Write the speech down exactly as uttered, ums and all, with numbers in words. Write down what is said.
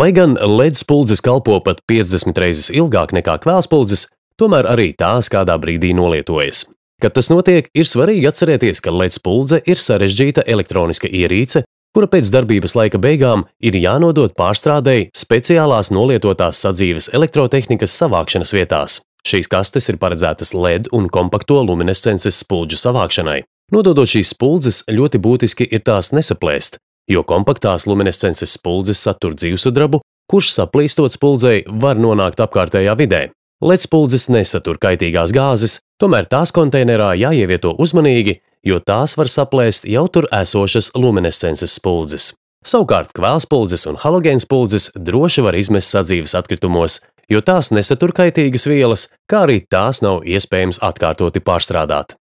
Lai gan L E D spuldzes kalpo pat piecdesmit reizes ilgāk nekā kvēlspuldzes, tomēr arī tās kādā brīdī nolietojas. Kad tas notiek, ir svarīgi atcerēties, ka L E D spuldze ir sarežģīta elektroniska ierīce, kura pēc darbības laika beigām ir jānodod pārstrādei speciālās nolietotās sadzīves elektrotehnikas savākšanas vietās. Šīs kastes ir paredzētas L E D un kompakto luminescences spuldžu savākšanai. Nododot šīs spuldzes, ļoti būtiski ir tās nesaplēst, jo kompaktās luminescences spuldzes satur dzīvsudrabu, kurš saplīstot spuldzei var nonākt apkārtējā vidē. L E D spuldzes nesatur kaitīgās gāzes, tomēr tās konteinerā jāievieto uzmanīgi, jo tās var saplēst jau tur esošas luminescences spuldzes. Savukārt kvēlspuldzes un halogēnspuldzes droši var izmest sadzīves atkritumos, jo tās nesatur kaitīgas vielas, kā arī tās nav iespējams atkārtoti pārstrādāt.